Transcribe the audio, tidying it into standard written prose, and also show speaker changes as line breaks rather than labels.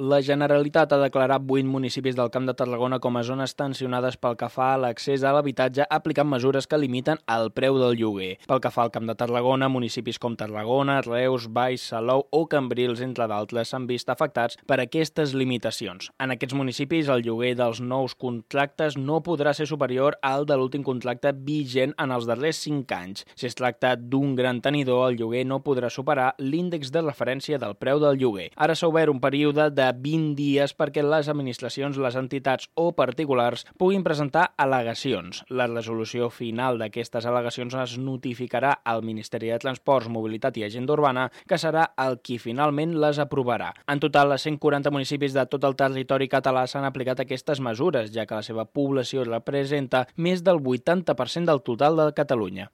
La Generalitat ha declarat 8 municipis del Camp de Tarragona com a zones tensionades pel que fa a l'accés a l'habitatge, aplicant mesures que limiten el preu del lloguer. Pel que fa al Camp de Tarragona, municipis com Tarragona, Reus, Baix, Salou o Cambrils, entre d'altres, s'han vist afectats per aquestes limitacions. En aquests municipis, el lloguer dels nous contractes no podrà ser superior al de l'últim contracte vigent en els darrers 5 anys. Si es tracta d'un gran tenidor, el lloguer no podrà superar l'índex de referència del preu del lloguer. Ara s'ha obert un període de 20 dies perquè les administracions, les entitats o particulars puguin presentar al·legacions. La resolució final d'aquestes al·legacions es notificarà al Ministeri de Transports, Mobilitat i Agenda Urbana, que serà el qui finalment les aprovarà. En total, els 140 municipis de tot el territori català s'han aplicat aquestes mesures, ja que la seva població representa més del 80% del total de Catalunya.